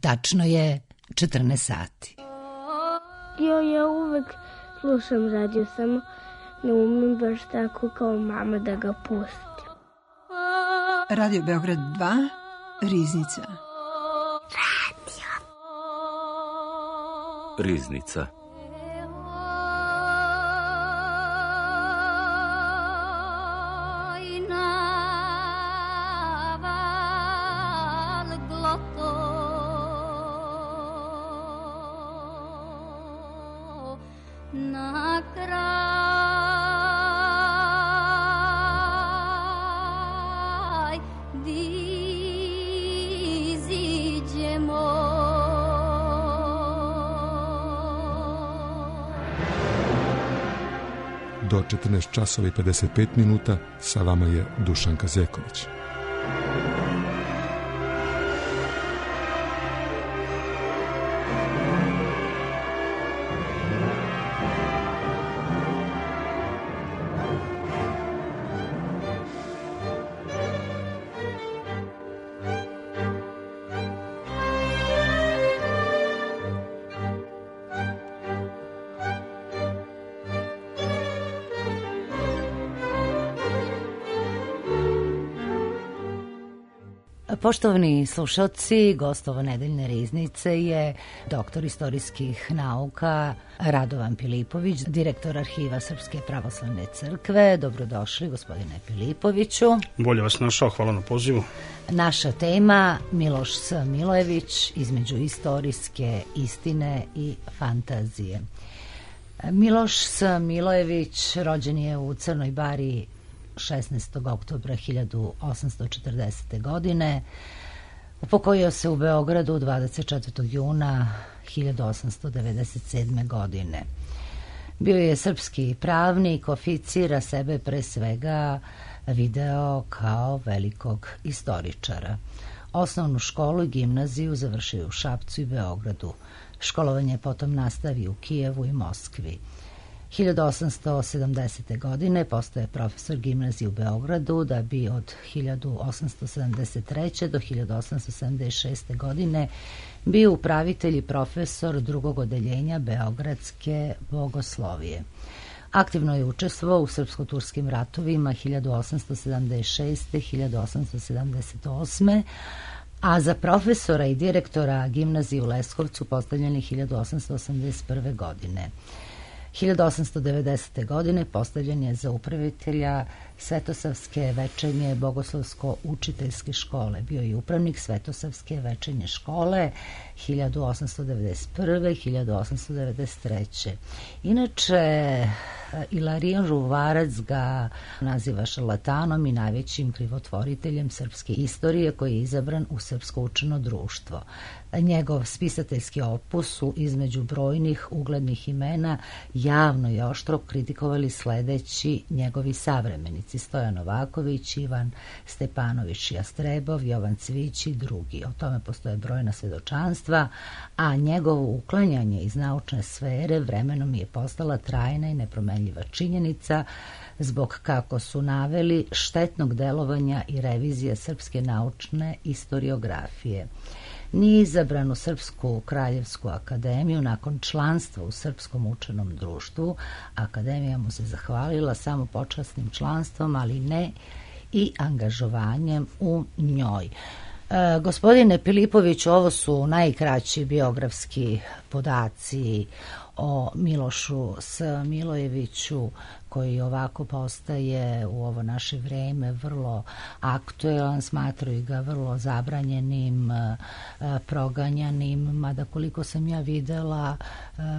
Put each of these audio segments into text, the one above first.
Tačno je 14 sati. Ja uvek slušam radio, samo ne umem baš tako kao mama da ga pustim. Radio Beograd 2, Riznica. Riznica. Do 14 časova i 55 minuta sa vama je Dušanka Zeković. Poštovani slušalci, gost ovo nedeljne Riznice je doktor istorijskih nauka Radovan Pilipović, direktor Arhiva Srpske pravoslavne crkve. Dobrodošli, gospodine Pilipoviću. Bolje vas našao, hvala na pozivu. Naša tema Miloš S. Milojević, između istorijske istine i fantazije. Miloš S. Milojević rođen je u Crnoj Bari 16. oktobra 1840. godine. Upokojio se u Beogradu 24. juna 1897. godine. Bio je srpski pravnik, oficir, a sebe pre svega video kao velikog istoričara. Osnovnu školu i gimnaziju završio u Šapcu i Beogradu. Školovanje potom nastavio u Kijevu i Moskvi. 1870. godine postaje profesor gimnazije u Beogradu, da bi od 1873. do 1876. godine bio upravitelj i profesor drugog odeljenja Beogradske bogoslovije. Aktivno je učestvovao u srpsko-turskim ratovima 1876. 1878. a za profesora i direktora gimnazije u Leskovcu postavljen je 1881. godine. 1890. godine postavljen je za upravitelja Svetosavske večernje bogoslovsko-učiteljske škole. Bio je upravnik Svetosavske večernje škole 1891. 1893. Inače, Ilarijan Žuvarac ga naziva šarlatanom i najvećim krivotvoriteljem srpske istorije, koji je izabran u Srpsko učeno društvo. Njegov spisateljski opus su između brojnih uglednih imena javno i oštro kritikovali sledeći njegovi savremenici: Stojan Novaković, Ivan Stepanović Jastrebov, Jovan Cvić i drugi. O tome postoje brojna svedočanstva, a njegovo uklanjanje iz naučne sfere vremenom je postala trajna i nepromenljiva činjenica, zbog, kako su naveli, štetnog delovanja i revizije srpske naučne istoriografije. Nije izabran u Srpsku kraljevsku akademiju nakon članstva u Srpskom učenom društvu. Akademija mu se zahvalila samo počasnim članstvom, ali ne i angažovanjem u njoj. Gospodine Pilipoviću, ovo su najkraći biografski podaci o Milošu S. Milojeviću, koji ovako postaje u ovo naše vreme vrlo aktuelan, smatraju ga vrlo zabranjenim, proganjanim, mada koliko sam ja videla,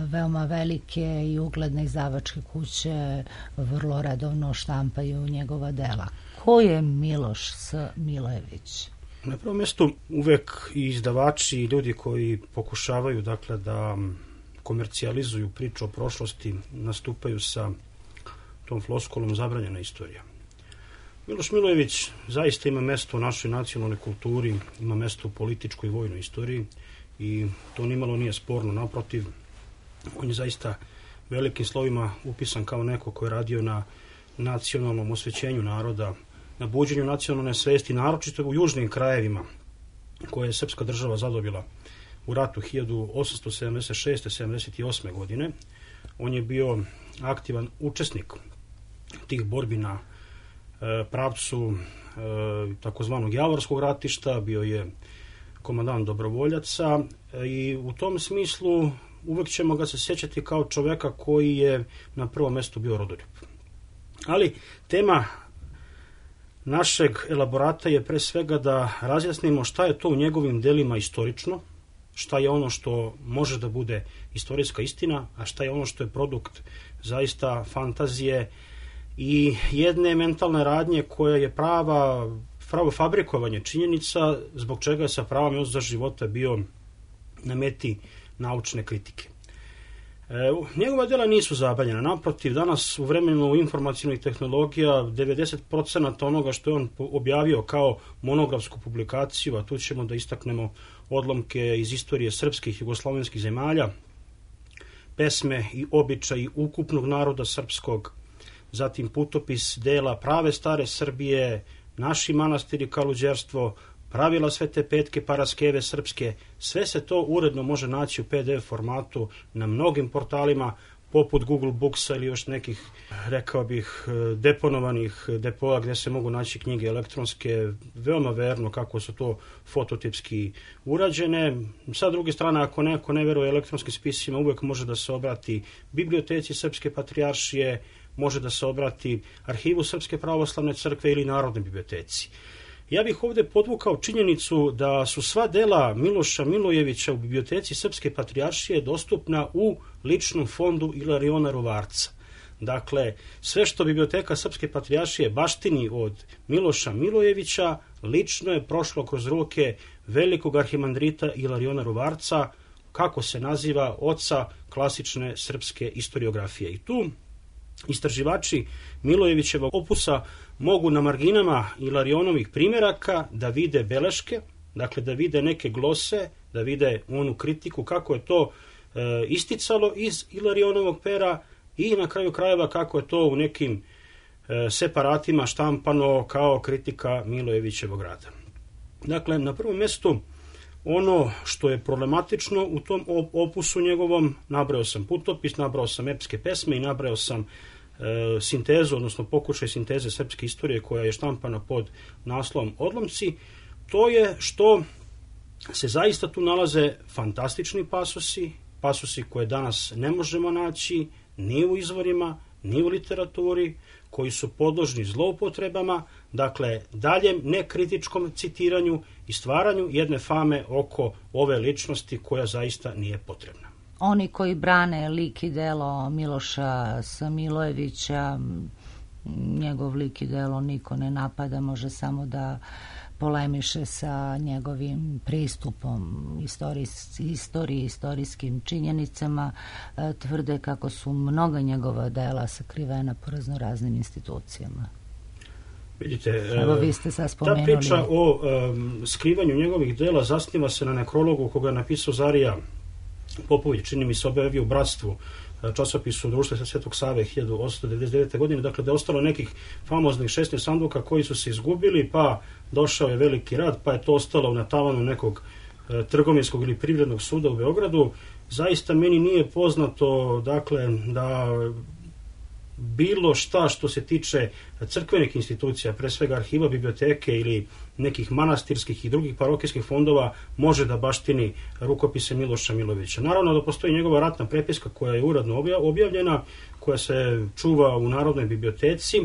veoma velike i ugledne izdavačke kuće vrlo redovno štampaju njegova dela. Ko je Miloš S. Milojević? Na prvom mjestu uvek i izdavači i ljudi koji pokušavaju dakle da komercijalizuju priču o prošlosti nastupaju sa tom floskolom zabranjena istorija. Miloš Milojević zaista ima mesto u našoj nacionalnoj kulturi, ima mesto u političkoj i vojnoj istoriji i to nimalo nije sporno, naprotiv, on je zaista velikim slovima upisan kao neko ko je radio na nacionalnom osvećenju naroda, na buđenju nacionalne svesti, naročito u južnim krajevima koje je srpska država zadobila u ratu 1876-78. godine. On je bio aktivan učesnik tih borbi na pravcu takozvanog Javorskog ratišta, bio je komandant dobrovoljaca i u tom smislu uvek ćemo ga se sjećati kao čoveka koji je na prvom mjestu bio rodoljub. Ali tema našeg elaborata je pre svega da razjasnimo šta je to u njegovim delima istorično, šta je ono što može da bude istorijska istina, a šta je ono što je produkt zaista fantazije i jedne mentalne radnje koja je pravo fabrikovanje činjenica, zbog čega je sa pravom za života bio na meti naučne kritike. Njegova dela nisu zabranjena, naprotiv, danas u vremenu informacionih tehnologija 90% onoga što je on objavio kao monografsku publikaciju, a tu ćemo da istaknemo odlomke iz istorije srpskih i jugoslovenskih zemalja, pesme i običaji ukupnog naroda srpskog, zatim putopis dela prave stare Srbije, naši manastiri Kaluđerstvo, pravila Svete Petke, paraskeve srpske, sve se to uredno može naći u PDF formatu na mnogim portalima, poput Google Booksa ili još nekih, rekao bih, deponovanih depoa gdje se mogu naći knjige elektronske, veoma verno kako su to fototipski urađene. Sa druge strane, ako neko ne veruje elektronskim spisima, uvek može da se obrati biblioteci Srpske patrijaršije, može da se obrati arhivu Srpske pravoslavne crkve ili Narodnoj biblioteci. Ja bih ovdje podvukao činjenicu da su sva dela Miloša Milojevića u biblioteci Srpske patrijaršije dostupna u ličnom fondu Ilariona Ruvarca. Dakle, sve što biblioteka Srpske patrijaršije baštini od Miloša Milojevića lično je prošlo kroz ruke velikog arhimandrita Ilariona Ruvarca, kako se naziva, oca klasične srpske istoriografije. I tu istraživači Milojevićevog opusa mogu na marginama Ilarionovih primjeraka da vide beleške, dakle da vide neke glose, da vide onu kritiku kako je to isticalo iz Ilarionovog pera i na kraju krajeva kako je to u nekim separatima štampano kao kritika Milojevićevog rada. Dakle, na prvom mjestu ono što je problematično u tom opusu njegovom, nabrao sam putopis, nabrao sam epske pesme i nabrao sam sintezu, odnosno pokušaj sinteze srpske istorije koja je štampana pod naslovom Odlomci, to je što se zaista tu nalaze fantastični pasusi koje danas ne možemo naći ni u izvorima, ni u literaturi, koji su podložni zloupotrebama, dakle daljem nekritičkom citiranju i stvaranju jedne fame oko ove ličnosti koja zaista nije potrebna. Oni koji brane lik i delo Miloša Milojevića, njegov lik i delo niko ne napada, može samo da polemiše sa njegovim pristupom istoriji, istorijskim činjenicama, tvrde kako su mnoga njegova dela sakrivena po raznoraznim institucijama. Vidite, evo, vi ste sad spomenuli. Ta priča o skrivanju njegovih dela zasniva se na nekrologu koga je napisao Zarija Popović, čini mi se objavio u Bratstvu, časopisu Društva Svetog Save 1899. godine, dakle da je ostalo nekih famoznih 16 sanduka koji su se izgubili, pa došao je veliki rat, pa je to ostalo na tavanu nekog trgovinskog ili privrednog suda u Beogradu. Zaista meni nije poznato, dakle, da bilo šta što se tiče crkvenih institucija, pre svega arhiva, biblioteke ili nekih manastirskih i drugih parohijskih fondova može da baštini rukopise Miloša Milojevića. Naravno da postoji njegova ratna prepiska koja je uredno objavljena, koja se čuva u Narodnoj biblioteci,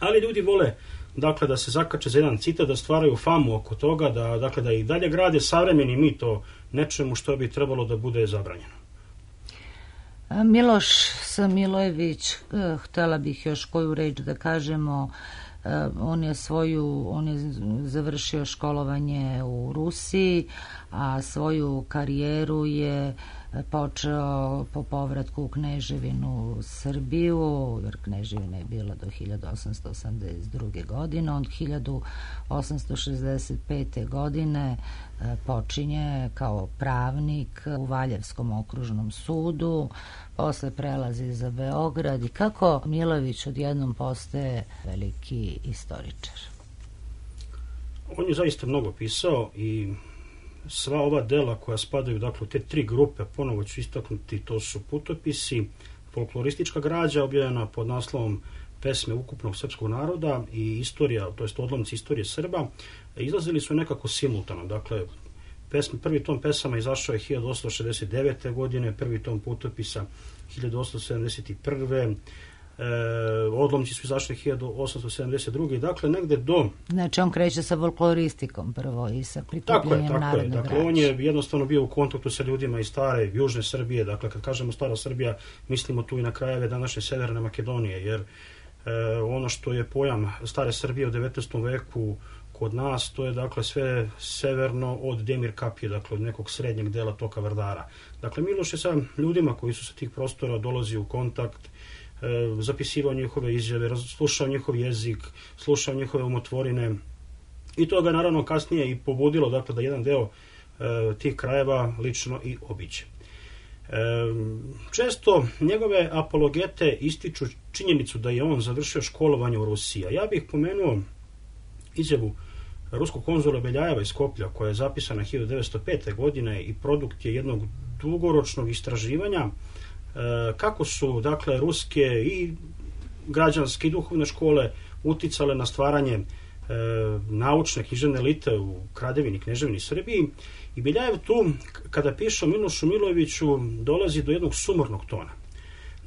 ali ljudi vole, dakle, da se zakače za jedan citat, da stvaraju famu oko toga, da i dalje grade savremeni mit o nečemu što bi trebalo da bude zabranjeno. Miloš Milojević, htjela bih još koju reč da kažemo, on je završio školovanje u Rusiji, a svoju karijeru je počeo po povratku u Kneževinu Srbiju, jer Kneževina je bila do 1882. godine. On 1865. godine počinje kao pravnik u Valjevskom okružnom sudu, posle prelazi za Beograd. I kako Milojević odjednom postaje veliki istoričar? On je zaista mnogo pisao i sva ova dela koja spadaju, dakle, u te 3 grupe, ponovo ću istaknuti, to su putopisi, folkloristička građa objavljena pod naslovom Pesme ukupnog srpskog naroda i istorija, to jest odlomci istorije Srba, izlazili su nekako simultano. Dakle, prvi tom pesama izašao je 1869. godine, prvi tom putopisa 1871. Odlomci su izašli 1872. Dakle, negde do... Znači, on kreće sa folkloristikom prvo i sa prikupljanjem narodnog građa. Dakle, on je jednostavno bio u kontaktu sa ljudima iz stare južne Srbije. Dakle, kad kažemo stara Srbija, mislimo tu i na krajeve današnje Severne Makedonije, jer ono što je pojam stare Srbije u 19. veku kod nas, to je dakle sve severno od Demir Kapije, dakle od nekog srednjeg dela toka Vardara. Dakle, Miloš je sa ljudima koji su sa tih prostora dolazio u kontakt, zapisivao njihove izjave, slušao njihov jezik, slušao njihove umotvorine i to ga naravno kasnije i pobudilo, dakle, da jedan deo tih krajeva lično i obiđe. Često njegove apologete ističu činjenicu da je on završio školovanje u Rusiji. Ja bih pomenuo izjavu ruskog konzula Beljajeva iz Skoplja, koja je zapisana 1905. godine i produkt je jednog dugoročnog istraživanja kako su, dakle, ruske i građanske i duhovne škole uticale na stvaranje naučne književne elite u Kraljevini, Kneževini Srbiji. I Beljajev tu, kada piše o Milošu Milojeviću, dolazi do jednog sumornog tona.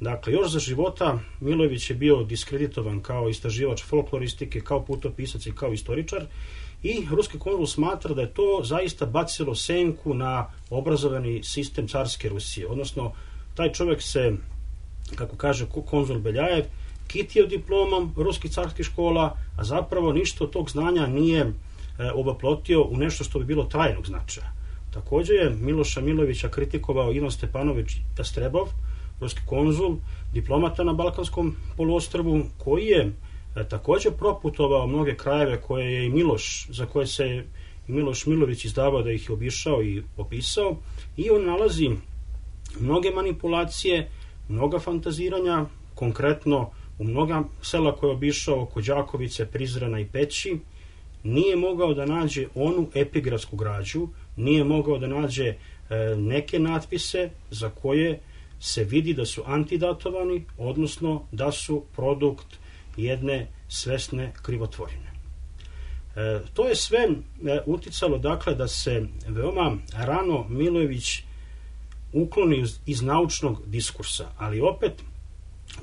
Dakle, još za života Milojević je bio diskreditovan kao istraživač folkloristike, kao putopisac i kao istoričar, i ruski konzul smatra da je to zaista bacilo senku na obrazovani sistem carske Rusije. Odnosno, taj čovjek se, kako kaže konzul Beljajev, kitio diplomom ruskih carskih škola, a zapravo ništa od tog znanja nije ovaplotio u nešto što bi bilo trajnog značaja. Također je Miloša Milojevića kritikovao Ivan Stepanović Jastrebov, ruski konzul, diplomata na Balkanskom poluostrvu, koji je također proputovao mnoge krajeve koje je i Miloš, za koje se i Miloš Milojević izdavao da ih je obišao i opisao, i on nalazi mnoge manipulacije, mnoga fantaziranja, konkretno u mnoga sela koje je obišao oko Đakovice, Prizrena i Peći, nije mogao da nađe onu epigrafsku građu, nije mogao da nađe neke natpise za koje se vidi da su antidatovani, odnosno da su produkt jedne svesne krivotvorine. To je sve uticalo, dakle, da se veoma rano Milojević ukloni iz naučnog diskursa, ali opet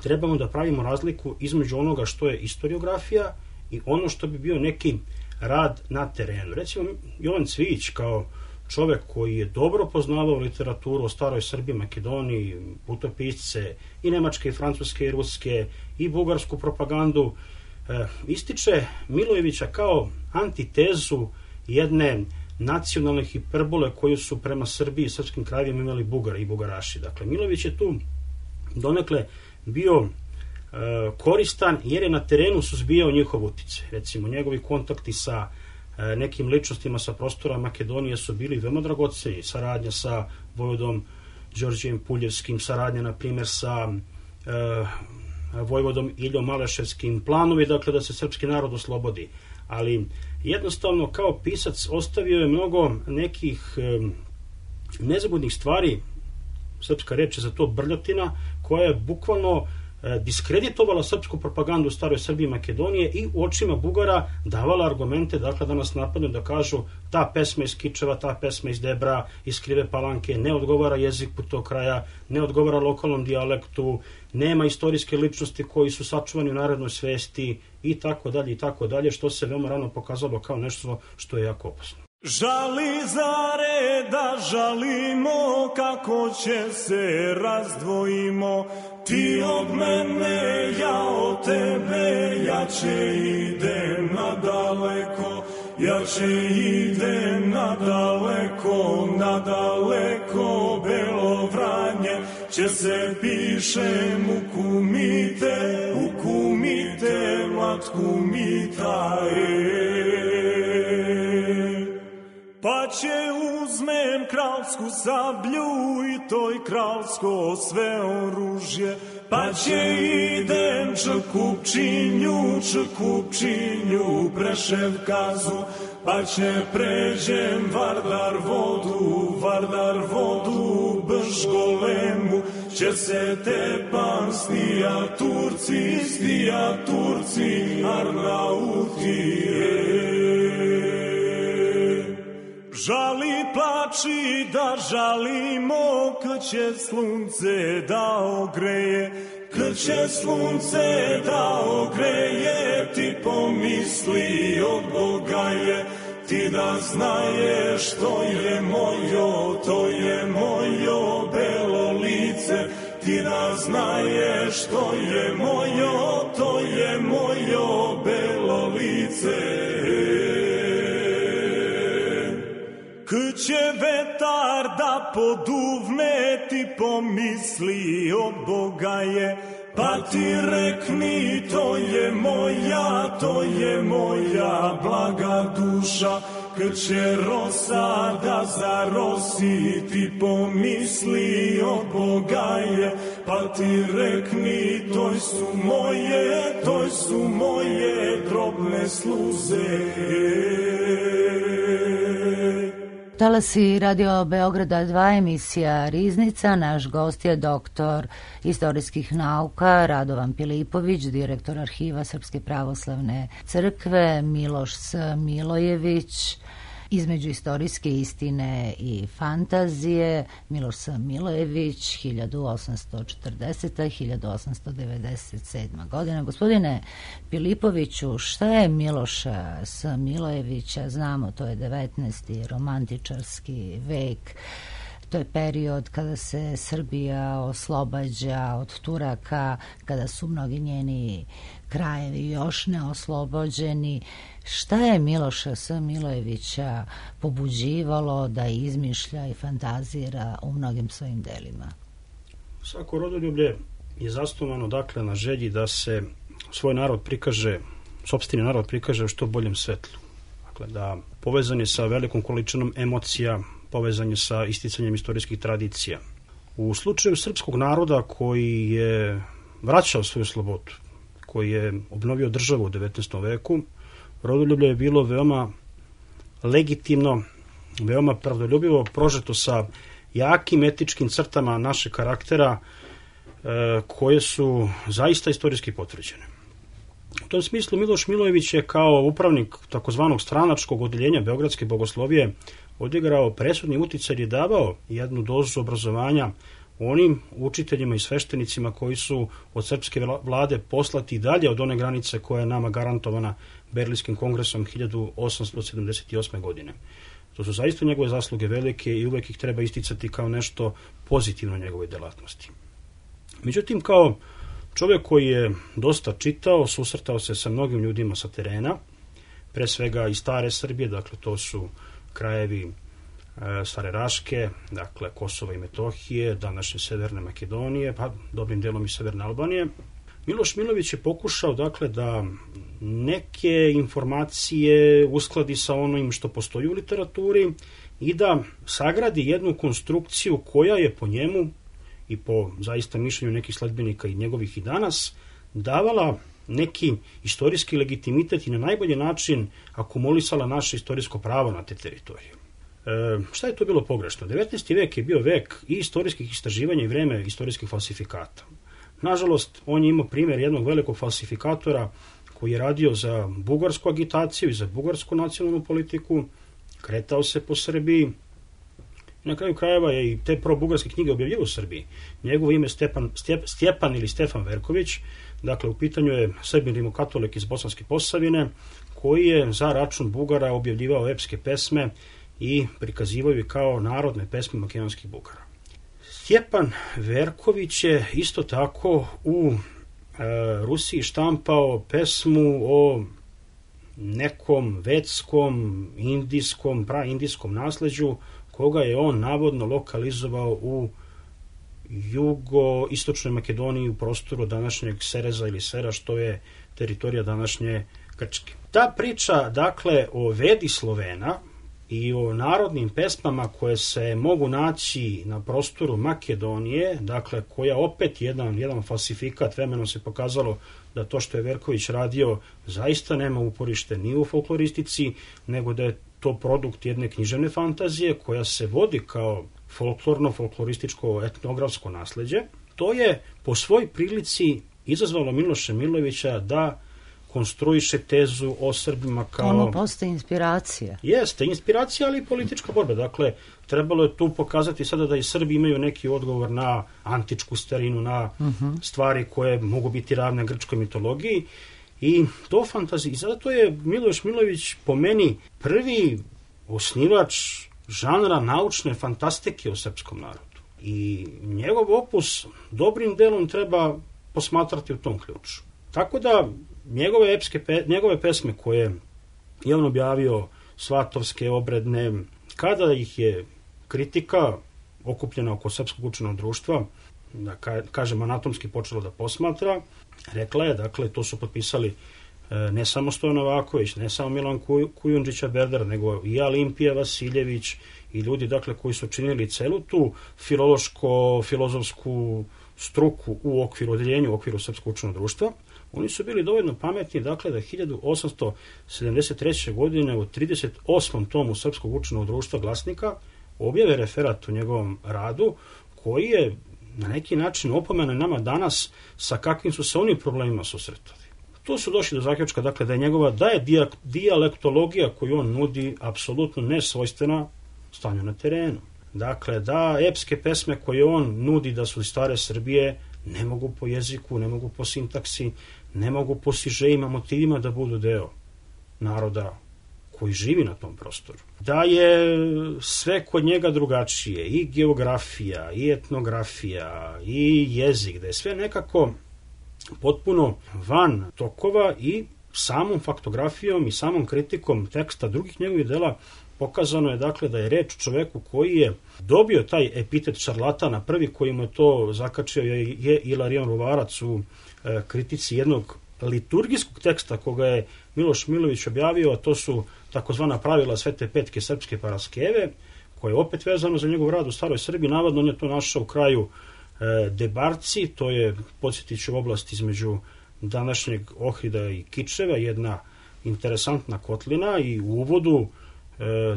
trebamo da pravimo razliku između onoga što je istoriografija i ono što bi bio neki rad na terenu. Recimo, Jovan Cvijić, kao čovek koji je dobro poznavao literaturu o staroj Srbiji, Makedoniji, putopisce i nemačke, i francuske, i ruske, i bugarsku propagandu, ističe Milojevića kao antitezu jedne nacionalne hiperbole koju su prema Srbiji i srpskim krajevima imali Bugari i Bugaraši. Dakle, Milojević je tu donekle bio koristan jer je na terenu suzbijao njihov uticaj. Recimo, njegovi kontakti sa nekim ličnostima sa prostora Makedonije su bili veoma dragoceni. Saradnja sa vojvodom Đorđijem Puljevskim, saradnja, na primjer, sa vojvodom Iljom Maleševskim, planovi, dakle, da se srpski narod oslobodi. Ali jednostavno, kao pisac, ostavio je mnogo nekih nezgodnih stvari, srpska reč je za to brljotina, koja je bukvalno diskreditovala srpsku propagandu u staroj Srbiji i Makedonije i u očima Bugara davala argumente, dakle, da nas napadnu, da kažu ta pesma iz Kičeva, ta pesma iz Debra, iz Krive Palanke ne odgovara jeziku tog kraja, ne odgovara lokalnom dijalektu, nema istorijske ličnosti koji su sačuvani u narodnoj svesti i tako dalje, što se veoma rano pokazalo kao nešto što je jako opasno. Žali zare da žalimo, kako će se razdvojimo, ti od mene, ja od tebe, jače idem nadaleko, jače idem nadaleko, nadaleko, Belo Vranje, će se piše ukumite, mlatkumita, pa će uzmem kralsku sablju i toj kralsko sve oružje, pa će idem Čekupčinju Preševkazu, pa će pređem Vardar vodu Bržgolemu, će se tepan stija Turci Arnautije. Žali plači da žalimo, kad će slunce da ogreje, kad će slunce da ogreje, ti pomisli od Boga je, ti da znaješ to je mojo belo lice, ti da znaješ to je mojo belo lice. Kad će vetar da poduvne, ti pomisli od Boga je, pa ti rekni to je moja blaga duša. Kad će rosa da zarosi, ti pomisli od Boga je, pa ti rekni to su moje drobne sluze. Talasi Radio Beograda 2, emisija Riznica. Naš gost je doktor istorijskih nauka Radovan Pilipović, direktor arhiva Srpske pravoslavne crkve, Miloš Milojević, između istorijske istine i fantazije, Miloš Milojević, 1840-1897 godina. Gospodine Pilipoviću, šta je Miloša Milojevića? Znamo, to je 19. romantičarski vek. To je period kada se Srbija oslobađa od Turaka, kada su mnogi njeni krajevi još neoslobođeni. Šta je Miloša Milojevića pobuđivalo da izmišlja i fantazira u mnogim svojim delima? Svako rodoljublje je zasnovano dakle na želji da se svoj narod prikaže, sopstveni narod prikaže u što boljem svetlu. Dakle, da povezan je sa velikom količinom emocija, povezan je sa isticanjem istorijskih tradicija. U slučaju srpskog naroda koji je vraćao svoju slobodu, koji je obnovio državu u 19. veku, rodoljublje je bilo veoma legitimno, veoma pravdoljubivo, prožeto sa jakim etičkim crtama našeg karaktera koje su zaista istorijski potvrđene. U tom smislu Miloš Milojević je kao upravnik takozvanog stranačkog odeljenja Beogradske bogoslovije odigrao presudni uticaj i davao jednu dozu obrazovanja onim učiteljima i sveštenicima koji su od srpske vlade poslati dalje od one granice koja je nama garantovana Berlinskim kongresom 1878. godine. To su zaista njegove zasluge velike i uvek ih treba isticati kao nešto pozitivno njegove delatnosti. Međutim, kao čovjek koji je dosta čitao, susretao se sa mnogim ljudima sa terena, pre svega iz stare Srbije, dakle to su krajevi Stare Raške, dakle Kosova i Metohije, današnje Severne Makedonije, pa dobrim delom i Severne Albanije. Miloš Milojević je pokušao dakle da neke informacije uskladi sa onim što postoji u literaturi i da sagradi jednu konstrukciju koja je po njemu i po zaista mišljenju nekih sledbenika i njegovih i danas davala neki istorijski legitimitet i na najbolji način akumulisala naše istorijsko pravo na te teritorije. Šta je to bilo pogrešno? 19. vek je bio vek i istorijskih istraživanja i vreme istorijskih falsifikata. Nažalost, on je imao primjer jednog velikog falsifikatora koji je radio za bugarsku agitaciju i za bugarsku nacionalnu politiku, kretao se po Srbiji. Na kraju krajeva je i te pro-bugarske knjige objavljivao u Srbiji. Njegovo ime Stjepan ili Stefan Verković, dakle u pitanju je Srbin rimokatolik iz Bosanske Posavine, koji je za račun Bugara objavljivao epske pesme i prikazivao je kao narodne pesme makedonskih Bugara. Stjepan Verković je isto tako u Rusiji štampao pesmu o nekom vedskom, indijskom, praindijskom nasleđu koga je on navodno lokalizovao u jugoistočnoj Makedoniji u prostoru današnjeg Sereza ili Sera, što je teritorija današnje Grčke. Ta priča, dakle, o Vedi Slovena i o narodnim pesmama koje se mogu naći na prostoru Makedonije, dakle koja opet jedan falsifikat, vremenom se pokazalo da to što je Verković radio zaista nema uporište ni u folkloristici, nego da je to produkt jedne književne fantazije koja se vodi kao folklorističko etnografsko nasleđe. To je po svoj prilici izazvalo Miloša Milojevića da konstruiše tezu o Srbima kao... Ono postaje inspiracija. Jeste, inspiracija, ali i politička borba. Dakle, trebalo je tu pokazati sada da i Srbi imaju neki odgovor na antičku starinu, na stvari koje mogu biti ravne grčkoj mitologiji. I to fantazija. I zato je Miloš Milojević po meni prvi osnivač žanra naučne fantastike u srpskom narodu. I njegov opus dobrim delom treba posmatrati u tom ključu. Tako da njegove pesme koje je on objavio, svatovske, obredne, kada ih je kritika okupljena oko Srpskog učenog društva, da kažem anatomski počela da posmatra, rekla je, dakle, to su potpisali ne samo Stojan Novaković, ne samo Milan Kujundžića Berder, nego i Olimpija Vasiljević i ljudi, dakle, koji su činili celu tu filološko-filozofsku struku u odeljenju u okviru Srpskog učenog društva. Oni su bili dovoljno pametni, dakle, da 1873. godine u 38. tomu Srpskog učenog društva Glasnika objave referat u njegovom radu, koji je na neki način opomena nama danas sa kakvim su se oni problemima susretali. Tu su došli do zaključka, dakle, da je dijalektologija koju on nudi apsolutno nesvojstvena stanju na terenu. Dakle, da epske pesme koje on nudi da su stare Srbije ne mogu po jeziku, ne mogu po sintaksi, ne mogu po sižejima, motivima da budu deo naroda koji živi na tom prostoru. Da je sve kod njega drugačije, i geografija, i etnografija, i jezik, da je sve nekako potpuno van tokova i samom faktografijom i samom kritikom teksta drugih njegovih dela pokazano je, dakle, da je reč o čoveku koji je dobio taj epitet šarlatana. Prvi koji mu je to zakačio je Ilarion Ruvarac u kritici jednog liturgijskog teksta koga je Miloš Milojević objavio, a to su takozvana pravila Svete Petke srpske paraskeve, koje je opet vezano za njegov rad u Staroj Srbiji. Navodno on je to našao u kraju Debarci, to je, podsjetit ću, oblast između današnjeg Ohrida i Kičeva, jedna interesantna kotlina, i u uvodu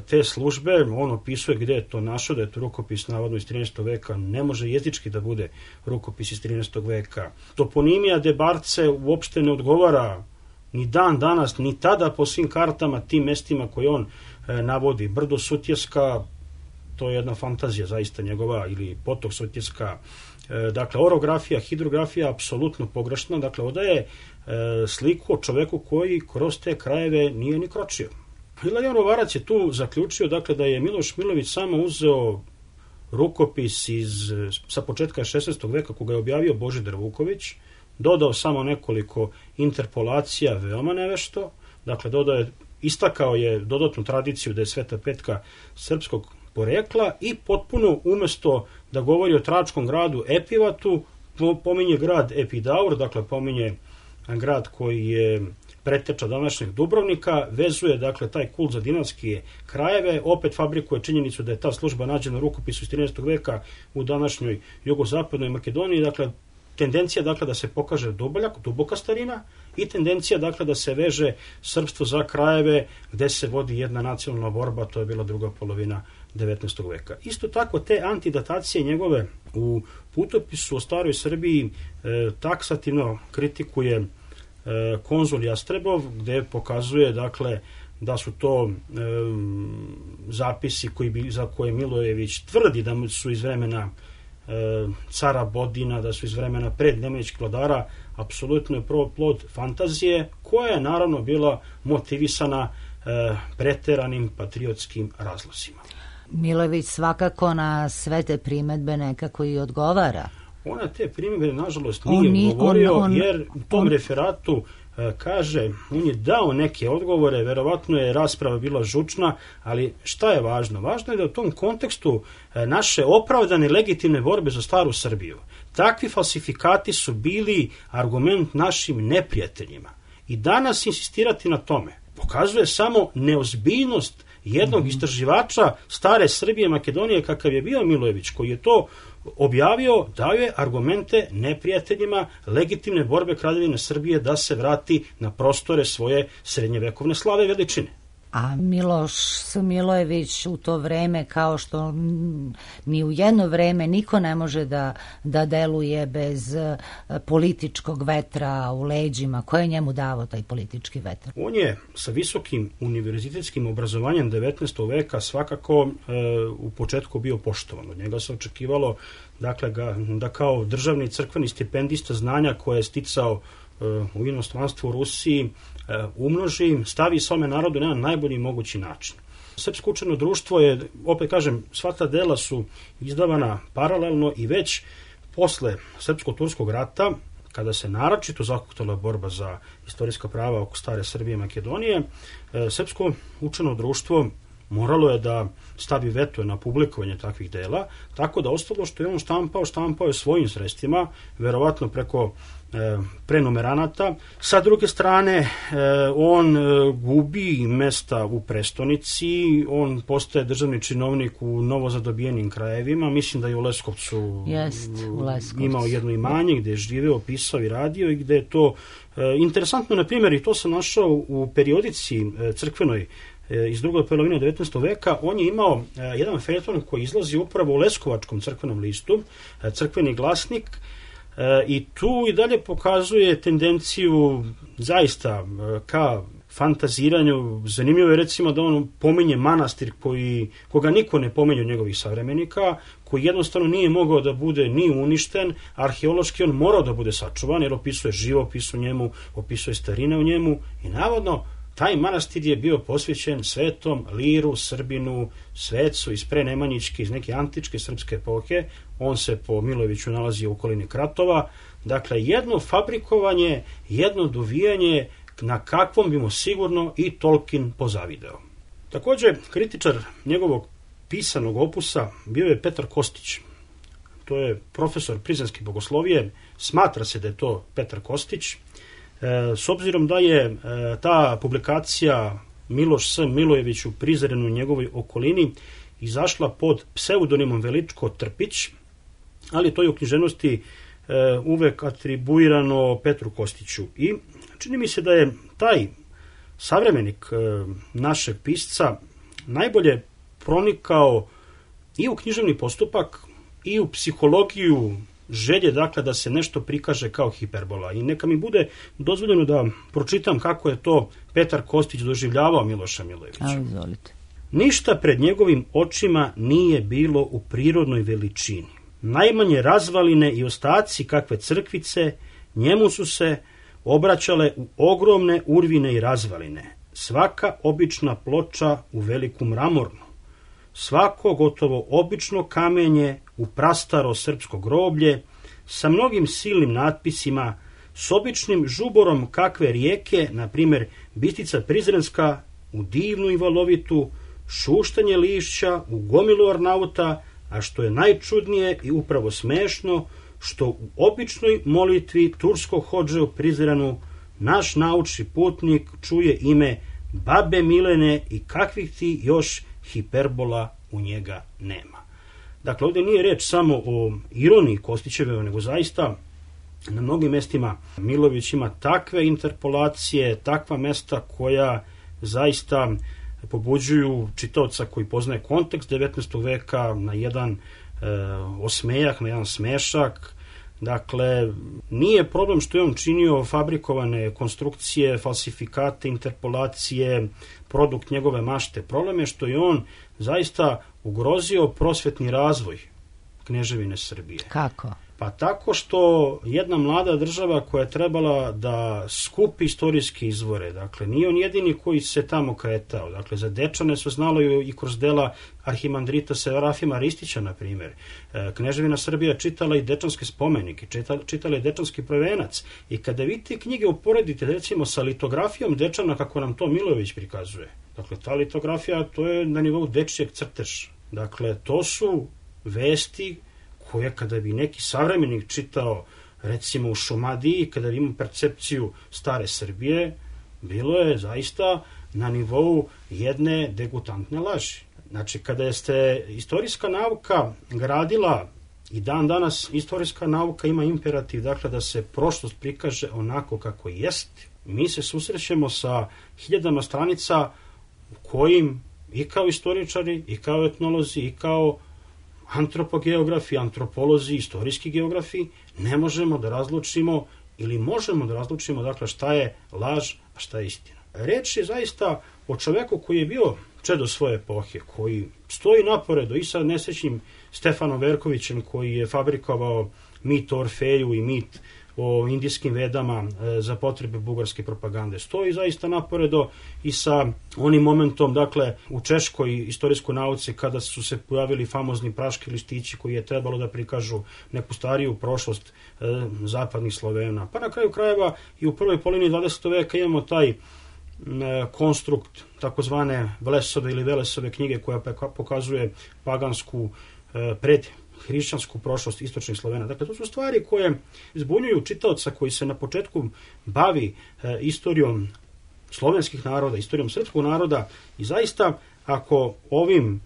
te službe on opisuje gde je to našao, da je to rukopis navodno iz 13. veka, ne može jezički da bude rukopis iz 13. veka. Toponimija Debarce uopšte ne odgovara ni dan danas, ni tada po svim kartama tim mestima koje on navodi. Brdo Sutjeska, to je jedna fantazija zaista njegova, ili potok Sutjeska. Dakle, orografija, hidrografija apsolutno pogrešna, dakle, odaje sliku o čoveku koji kroz te krajeve nije ni kročio. Ilarion Ruvarac je tu zaključio, dakle, da je Miloš Milojević samo uzeo rukopis sa početka 16. veka koga je objavio Božidar Vuković, dodao samo nekoliko interpolacija veoma nevešto, dakle, istakao je dodatnu tradiciju da je Sveta Petka srpskog porekla i potpuno umesto da govori o tračkom gradu Epivatu, pominje grad Epidaur, dakle, pominje grad koji je preteča današnjeg Dubrovnika, vezuje, dakle, taj kult za dinarske krajeve, opet fabrikuje činjenicu da je ta služba nađena u rukopisu iz 13. veka u današnjoj jugozapadnoj Makedoniji, dakle, tendencija, dakle, da se pokaže duboka starina i tendencija, dakle, da se veže srpstvo za krajeve gde se vodi jedna nacionalna borba, to je bila druga polovina 19. veka. Isto tako, te antidatacije njegove u putopisu o staroj Srbiji taksativno kritikuje konzul Jastrebov, gde pokazuje, dakle, da su to zapisi za koje Milojević tvrdi da su iz vremena cara Bodina, da su iz vremena prednemanjičkih vladara, apsolutno je plod fantazije, koja je naravno bila motivisana preteranim patriotskim razlozima. Milojević svakako na sve te primedbe nekako i odgovara. Ona te primjedbe, nažalost, nije odgovorio, jer u tom referatu kaže, on je dao neke odgovore, verovatno je rasprava bila žučna, ali šta je važno? Važno je da u tom kontekstu naše opravdane legitimne borbe za staru Srbiju, takvi falsifikati su bili argument našim neprijateljima. I danas insistirati na tome pokazuje samo neozbiljnost jednog istraživača stare Srbije, Makedonije, kakav je bio Milojević, koji je to objavio, dao je argumente neprijateljima legitimne borbe Kraljevine Srbije da se vrati na prostore svoje srednjevekovne slave i veličine. A Miloš Milojević u to vreme, kao što ni u jedno vreme niko ne može da deluje bez političkog vetra u leđima. Ko je njemu davao taj politički vetar? On je sa visokim univerzitetskim obrazovanjem 19. veka svakako u početku bio poštovan. Od njega se očekivalo dakle, da kao državni crkveni stipendista znanja koje je sticao u inostranstvu u Rusiji umnoži, stavi svome narodu na najbolji mogući način. Srpsko učeno društvo je, opet kažem, sva ta dela su izdavana paralelno i već posle Srpsko-turskog rata, kada se naročito zahuktala borba za istorijska prava oko stare Srbije i Makedonije, Srpsko učeno društvo moralo je da stavi veto na publikovanje takvih dela, tako da ostalo što je on štampao je svojim sredstvima, verovatno preko prenumeranata. Sa druge strane, on gubi mesta u prestonici, on postaje državni činovnik u novozadobijenim krajevima, mislim da je u Leskovcu imao jedno imanje gde je živeo, pisao i radio i gde je to interesantno, na primjer, i to sam našao u periodici crkvenoj iz drugoj polovine 19. veka, on je imao jedan feljeton koji izlazi upravo u Leskovačkom crkvenom listu, crkveni glasnik, i tu i dalje pokazuje tendenciju zaista ka fantaziranju. Zanimljivo je recimo da on pominje manastir koga niko ne pominje od njegovih savremenika, koji jednostavno nije mogao da bude ni uništen, arheološki on morao da bude sačuvan, jer opisuje živopis u njemu, opisuje starine u njemu i navodno taj manastir je bio posvećen Svetom Liru, Srbinu, svecu iz prenemanjičke, iz neke antičke srpske epohe. On se po Milojeviću nalazi u okolini Kratova. Dakle, jedno fabrikovanje, jedno dovijanje na kakvom bi mu sigurno i Tolkien pozavideo. Također, kritičar njegovog pisanog opusa bio je Petar Kostić. To je profesor prizrenske bogoslovije. Smatra se da je to Petar Kostić. S obzirom da je ta publikacija Miloš S. Milojević u Prizrenu u njegovoj okolini izašla pod pseudonimom Veličko Trpić, ali to je u književnosti uvek atribuirano Petru Kostiću. I čini mi se da je taj savremenik našeg pisca najbolje pronikao i u književni postupak i u psihologiju želje, dakle, da se nešto prikaže kao hiperbola. I neka mi bude dozvoljeno da pročitam kako je to Petar Kostić doživljavao Miloša Milojevića. Izvolite. Ništa pred njegovim očima nije bilo u prirodnoj veličini. Najmanje razvaline i ostaci kakve crkvice njemu su se obraćale u ogromne urvine i razvaline. Svaka obična ploča u veliku mramornu. Svako gotovo obično kamenje u prastaro srpsko groblje, sa mnogim silnim natpisima, s običnim žuborom kakve rijeke, na primjer Bistrica Prizrenska, u divnu i valovitu, šuštanje lišća u gomilu ornauta, a što je najčudnije i upravo smešno, što u običnoj molitvi turskog hodže u Prizrenu naš naučni putnik čuje ime Babe Milene i kakvih ti još hiperbola u njega nema. Dakle, ovdje nije reč samo o ironiji Kostićeve, nego zaista na mnogim mestima Milojević ima takve interpolacije, takva mesta koja zaista pobuđuju čitaoca koji poznaje kontekst 19. veka na jedan osmejak, na jedan smešak. Dakle, nije problem što je on činio fabrikovane konstrukcije, falsifikate, interpolacije, produkt njegove mašte. Problem je što je on zaista ugrozio prosvetni razvoj Kneževine Srbije. Kako? Pa tako što jedna mlada država koja je trebala da skupi istorijske izvore, dakle nije on jedini koji se tamo kretao, dakle za Dečane su znalo i kroz dela arhimandrita Serafima Ristića, na primjer. Kneževina Srbija čitala i dečanske spomenike, čitala i dečanski prvenac, i kada vi te knjige uporedite recimo sa litografijom Dečana kako nam to Milojević prikazuje, dakle ta litografija to je na nivou dečijeg crteža, dakle to su vesti koje kada bi neki savremenik čitao recimo u Šumadiji, kada bi imao percepciju stare Srbije, bilo je zaista na nivou jedne degutantne laži. Znači, kada ste istorijska nauka gradila i dan danas istorijska nauka ima imperativ, dakle, da se prošlost prikaže onako kako jest, mi se susrećemo sa hiljadama stranica u kojim i kao istoričari, i kao etnolozi, i kao antropogeografi, antropolozi, istorijski geografi, ne možemo da razlučimo ili možemo da razlučimo, dakle, šta je laž, a šta je istina. Reč je zaista o čoveku koji je bio čedo svoje epohe, koji stoji naporedo i sa nesrećnim Stefanom Verkovićem, koji je fabrikovao mit o Orfeju i mit o indijskim vedama za potrebe bugarske propagande. Stoji zaista naporedo i sa onim momentom, dakle, u češkoj istorijskoj nauci kada su se pojavili famozni praški listići koji je trebalo da prikažu neku stariju prošlost zapadnih Slovena. Pa na kraju krajeva i u prvoj polovini 20. veka imamo taj konstrukt takozvane Vlesove ili Velesove knjige koja pokazuje pagansku predhrišćansku prošlost istočnih Slovena. Dakle, to su stvari koje zbunjuju čitaoca koji se na početku bavi istorijom slovenskih naroda, istorijom srpskog naroda i zaista ako ovim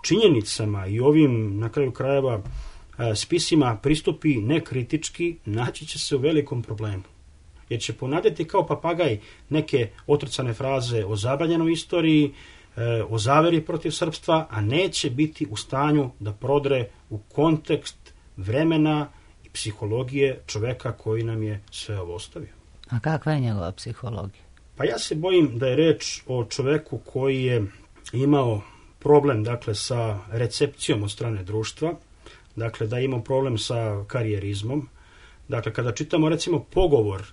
činjenicama i ovim na kraju krajeva spisima pristupi nekritički, naći će se u velikom problemu. Jer će ponadeti kao papagaj neke otrcane fraze o zabranjenoj istoriji, o zaveri protiv srpstva, a neće biti u stanju da prodre u kontekst vremena i psihologije čoveka koji nam je sve ovo ostavio. A kakva je njegova psihologija? Pa ja se bojim da je reč o čoveku koji je imao problem, dakle, sa recepcijom od strane društva, dakle, da je imao problem sa karijerizmom. Dakle, kada čitamo, recimo, pogovor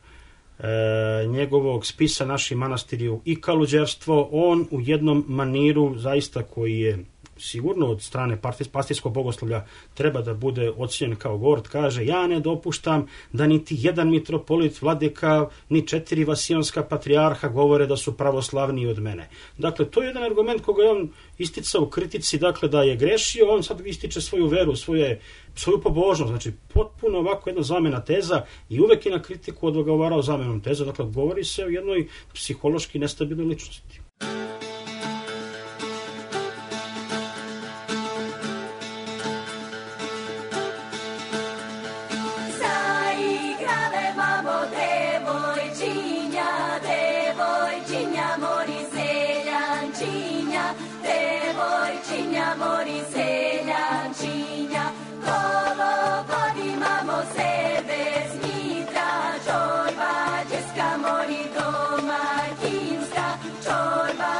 njegovog spisa Naši manastirju i kaluđerstvo, on u jednom maniru zaista koji je sigurno od strane pastijskog bogoslovlja treba da bude ocjenjen kao gord, kaže: ja ne dopuštam da niti jedan mitropolit, vladika, ni 4 vasijonska patrijarha govore da su pravoslavniji od mene. Dakle, to je jedan argument koga je on isticao u kritici, dakle, da je grešio, on sad ističe svoju veru, svoju pobožnost, znači potpuno ovako jedna zamena teza i uvek je na kritiku odgovarao zamenom teza, dakle, govori se o jednoj psihološki nestabilnoj ličnosti. Čorba, česka mori domaćinska, čorba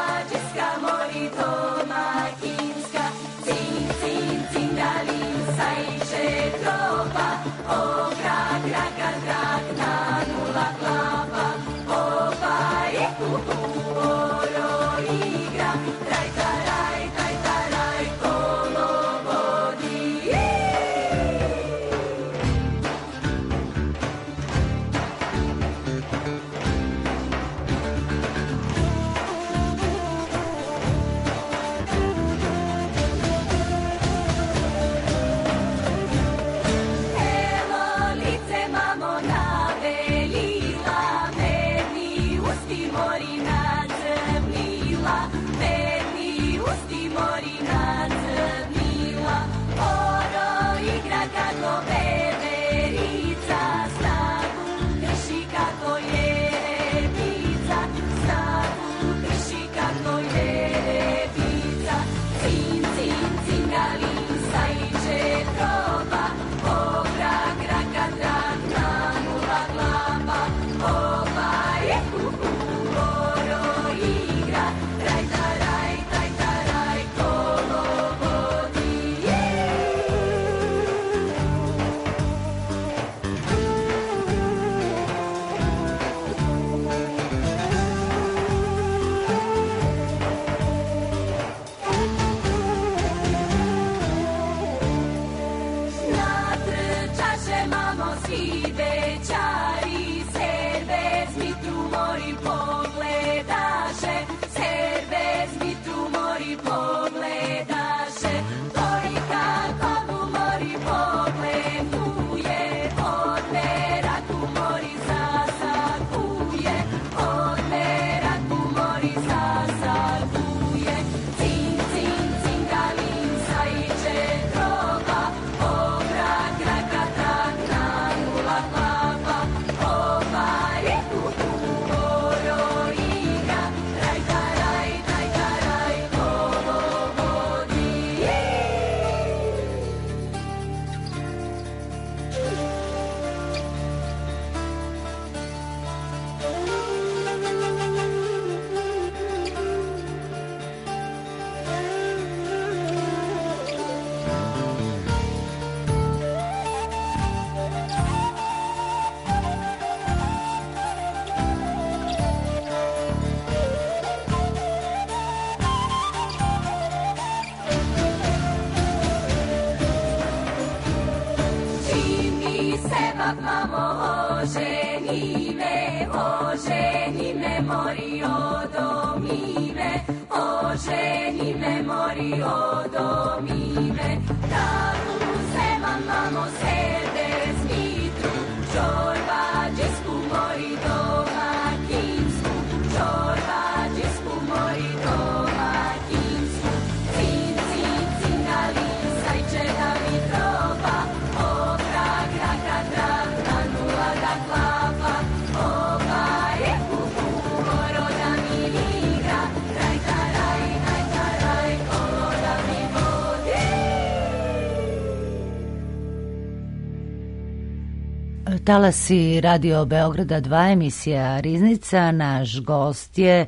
Talasi Radio Beograda 2, emisija Riznica. Naš gost je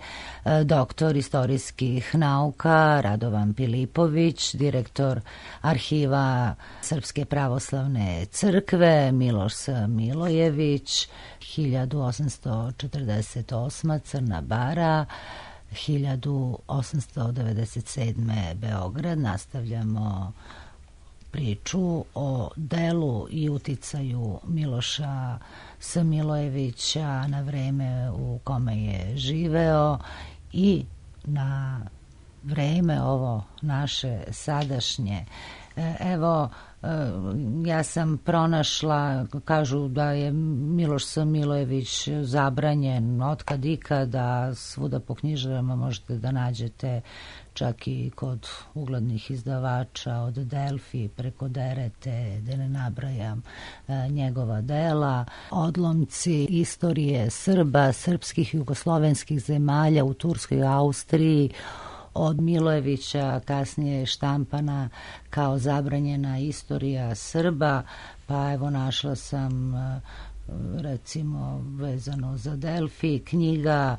doktor istorijskih nauka Radovan Pilipović, direktor arhiva Srpske pravoslavne crkve, Miloš Milojević, 1848. Crna Bara, 1897. Beograd. Nastavljamo priču o delu i uticaju Miloša Milojevića na vreme u kome je živeo i na vreme ovo naše sadašnje. Evo, ja sam pronašla, kažu da je Miloš Milojević zabranjen otkad ikada, svuda po knjižarama možete da nađete, čak i kod uglednih izdavača, od Delfi preko Derete, da ne nabrajam njegova dela. Odlomci istorije Srba, srpskih i jugoslovenskih zemalja u Turskoj i Austriji, od Milojevića, kasnije je štampana kao zabranjena istorija Srba, pa evo našla sam recimo vezano za Delfi, knjiga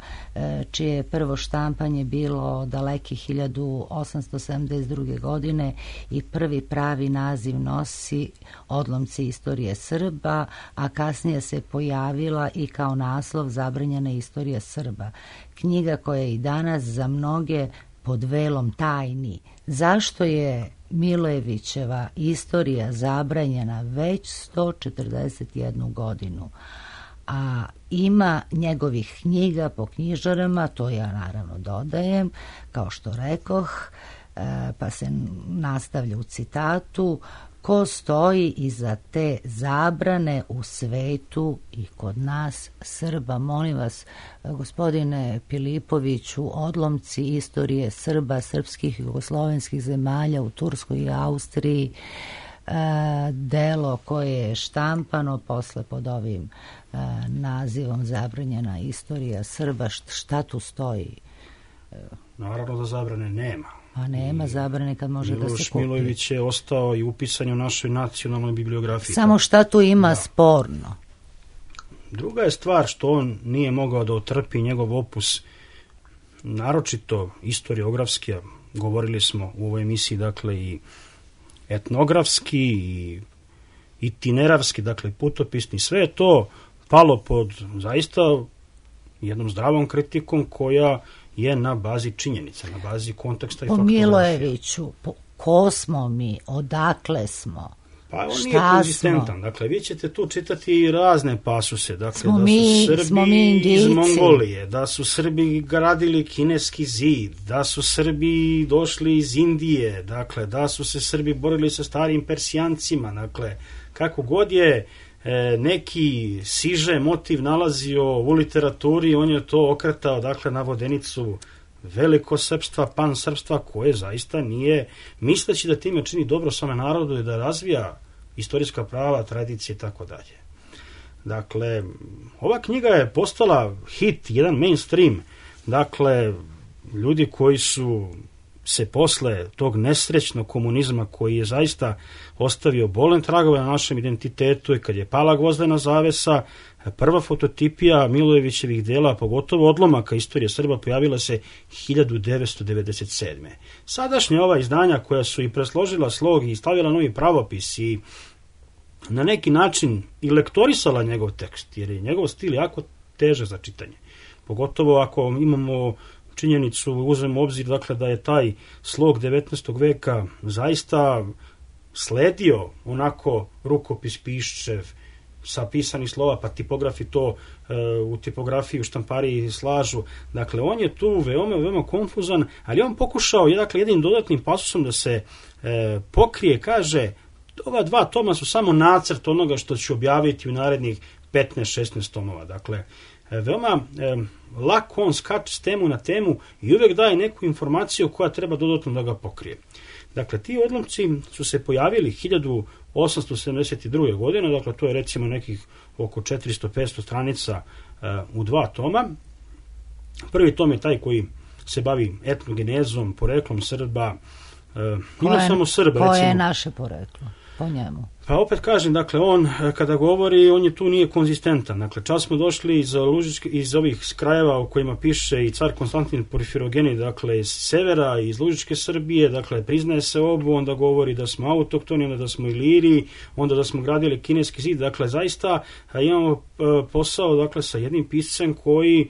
čije je prvo štampanje bilo daleke 1872. godine i prvi pravi naziv nosi Odlomci istorije Srba, a kasnije se pojavila i kao naslov Zabranjena istorija Srba. Knjiga koja je i danas za mnoge pod velom tajni. Zašto je Milojevićeva istorija zabranjena već 141 godinu? A ima njegovih knjiga po knjižarama, to ja naravno dodajem, kao što rekoh, pa se nastavlja u citatu: ko stoji iza te zabrane u svetu i kod nas Srba? Molim vas, gospodine Pilipoviću, Odlomci istorije Srba, srpskih i jugoslovenskih zemalja u Turskoj i Austriji, delo koje je štampano posle pod ovim nazivom Zabranjena istorija Srba, šta tu stoji? Naravno da zabrane nema. A nema zabrane kad može da se kupi. Miloš Milojević je ostao i upisan u našoj nacionalnoj bibliografiji. Samo šta tu ima sporno? Druga je stvar što on nije mogao da otrpi njegov opus, naročito historiografski, govorili smo u ovoj emisiji, dakle i etnografski i itineravski, dakle putopisni, sve je to palo pod zaista jednom zdravom kritikom koja je na bazi činjenica, na bazi konteksta i faktografije. Po Milojeviću, ko smo mi, odakle smo, pa on šta nije konzistentan. Dakle, vi ćete tu čitati razne pasuse, dakle, smo da su Srbi iz Mongolije, da su Srbi gradili kineski zid, da su Srbi došli iz Indije, dakle, da su se Srbi borili sa starim Persijancima, dakle, kako god je neki siže motiv nalazio u literaturi, on je to okretao, dakle, na vodenicu velikosrpstva, pansrpstva, koje zaista nije, misleći da time čini dobro svome narodu i da razvija istorijska prava, tradicije i tako dalje. Dakle, ova knjiga je postala hit, jedan mainstream. Dakle, ljudi koji su se posle tog nesrećnog komunizma koji je zaista ostavio bolen tragove na našem identitetu i kad je pala gvozdena zavesa, prva fototipija Milojevićevih dela, pogotovo odlomaka istorije Srba, pojavila se 1997. Sadašnja ova izdanja koja su i presložila slog i stavila novi pravopis i na neki način i lektorisala njegov tekst, jer je njegov stil jako težak za čitanje. Pogotovo ako imamo činjenicu, uzmemo obzir dakle, da je taj slog 19. veka zaista sledio onako rukopis Piščev sa pisanih slova, pa tipografi to u tipografiji, u štampariji slažu. Dakle, on je tu veoma konfuzan, ali on pokušao dakle, jednim dodatnim pasusom da se pokrije, kaže, ova 2 toma su samo nacrt onoga što ću objaviti u narednih 15-16 tomova. Dakle, veoma lako on skače s temu na temu i uvek daje neku informaciju koja treba dodatno da ga pokrije. Dakle, ti odlomci su se pojavili 1872. godine, dakle to je recimo nekih oko 400-500 stranica u 2 toma. Prvi tom je taj koji se bavi etnogenezom, poreklom Srba, ne samo Srba. Koje je naše poreklo po njemu? Pa opet kažem, dakle, on kada govori, on je tu nije konzistentan. Dakle, čas smo došli iz ovih krajeva u kojima piše i car Konstantin Porfirogeni, dakle, iz severa, iz Lužičke Srbije, dakle, priznaje se obu, onda govori da smo autoktoni, onda da smo iliri, onda da smo gradili kineski zid. Dakle, zaista imamo posao, dakle, sa jednim piscem koji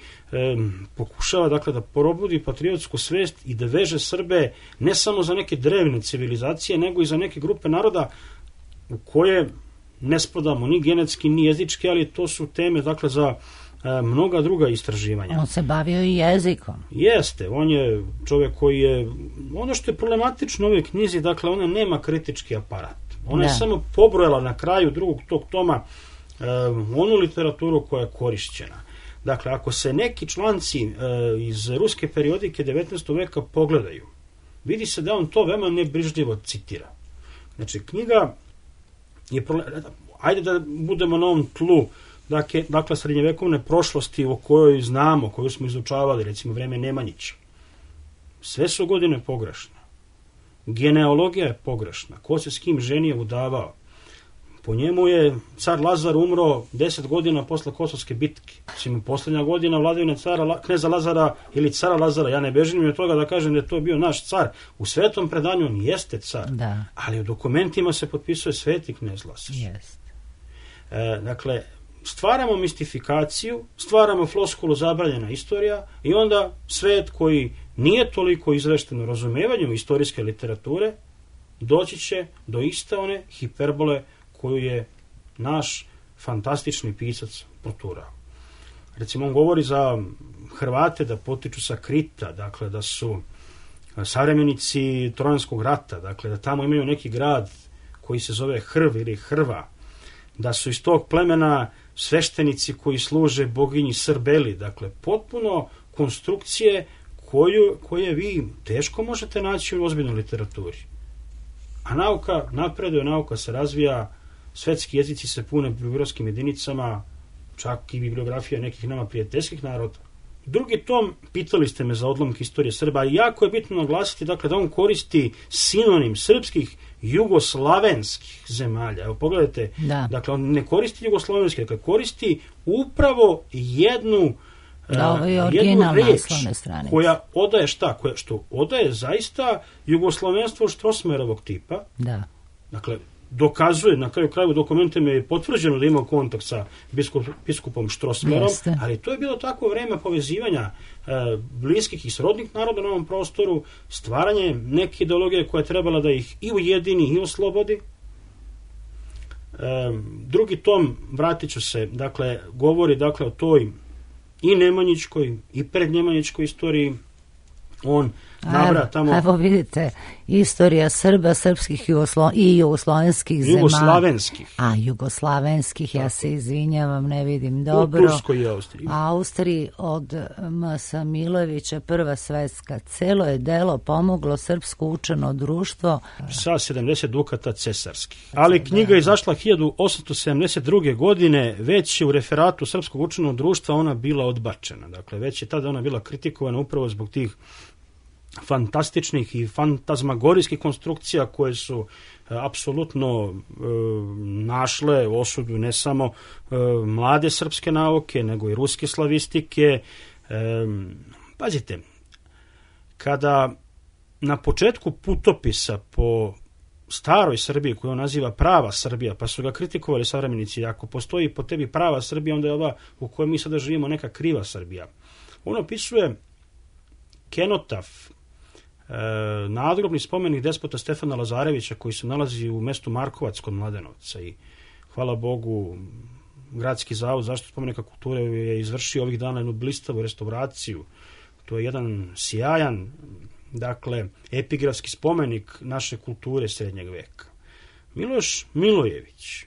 pokušava, dakle, da probudi patriotsku svest i da veže Srbe ne samo za neke drevne civilizacije, nego i za neke grupe naroda u koje ne spadamo ni genetski, ni jezički, ali to su teme, dakle, za mnoga druga istraživanja. On se bavio i jezikom. Jeste, on je čovjek koji je, ono što je problematično u ovoj knjizi, dakle, ona nema kritički aparat. Ona je samo pobrojala na kraju drugog tog toma onu literaturu koja je korišćena. Dakle, ako se neki članci iz ruske periodike 19. veka pogledaju, vidi se da on to veoma nebrižljivo citira. Znači, knjiga je, ajde da budemo na ovom tlu, dakle, srednjevekovne prošlosti o kojoj znamo, koju smo izučavali, recimo vreme Nemanjića. Sve su godine pogrešne. Genealogija je pogrešna. Ko se s kim ženio, udavao. Po njemu je car Lazar umro 10 godina posle Kosovske bitke. Mislim, posljednja godina vladavine kneza Lazara ili cara Lazara, ja ne bežim od toga da kažem da je to bio naš car. U svetom predanju on jeste car, ali u dokumentima se potpisuje sveti knez Lazar. Dakle, stvaramo mistifikaciju, stvaramo floskulu zabranjena istorija i onda svet koji nije toliko izvešten u razumevanju istorijske literature doći će do iste one hiperbole koju je naš fantastični pisac proturao. Recimo, on govori za Hrvate da potiču sa Krita, dakle da su savremenici Trojanskog rata, dakle da tamo imaju neki grad koji se zove Hrv ili Hrva, da su iz tog plemena sveštenici koji služe boginji Srbeli, dakle potpuno konstrukcije koje vi teško možete naći u ozbiljnoj literaturi. A nauka napreduje, nauka se razvija, svetski jezici se pune bibliografskim jedinicama, čak i bibliografija nekih nama prijateljskih naroda. Drugi tom, pitali ste me za odlomke istorije Srba, i jako je bitno naglasiti, dakle, da on koristi sinonim srpskih jugoslavenskih zemalja. Evo, pogledajte, dakle, on ne koristi jugoslavenski, dakle, koristi upravo jednu reč koja odaje šta? Što odaje zaista jugoslovenstvo Štrosmajerovog tipa. Dakle, dokazuje, na kraju kraju dokumentima je potvrđeno da ima kontakt sa biskupom Štrosmajerom, ali to je bilo tako vreme povezivanja bliskih i srodnih naroda na ovom prostoru, stvaranje neke ideologije koja je trebala da ih i ujedini i oslobodi. Drugi tom, vratit ću se, dakle, govori, dakle, o toj i nemanjičkoj i prednjemanjičkoj istoriji, on nabra tamo... Evo vidite, istorija Srba, srpskih i jugoslovenskih zemalja. Jugoslavenskih. Jugoslavenskih, ja se izvinjavam, ne vidim dobro. U Turskoj i Austriji. Austriji od M.S. Milojevića, Prva svetska. Celo je delo pomoglo srpsko učeno društvo. Sa 70 dukata cesarskih. Ali knjiga je izašla 1872. godine, već je u referatu Srpskog učenog društva ona bila odbačena. Dakle, već je tada ona bila kritikovana upravo zbog tih fantastičnih i fantazmagorijskih konstrukcija koje su apsolutno našle osudu ne samo mlade srpske nauke, nego i ruske slavistike. Pazite, kada na početku putopisa po staroj Srbiji, koju on naziva prava Srbija, pa su ga kritikovali savremenici, ako postoji po tebi prava Srbija, onda je ova u kojoj mi sada živimo neka kriva Srbija. On opisuje kenotaf, nadgrobni spomenik despota Stefana Lazarevića koji se nalazi u mestu Markovac kod Mladenovca i hvala Bogu Gradski zavod zaštitu spomenika kulture je izvršio ovih dana jednu blistavu restauraciju. To je jedan sjajan, dakle, epigrafski spomenik naše kulture srednjeg veka. Miloš Milojević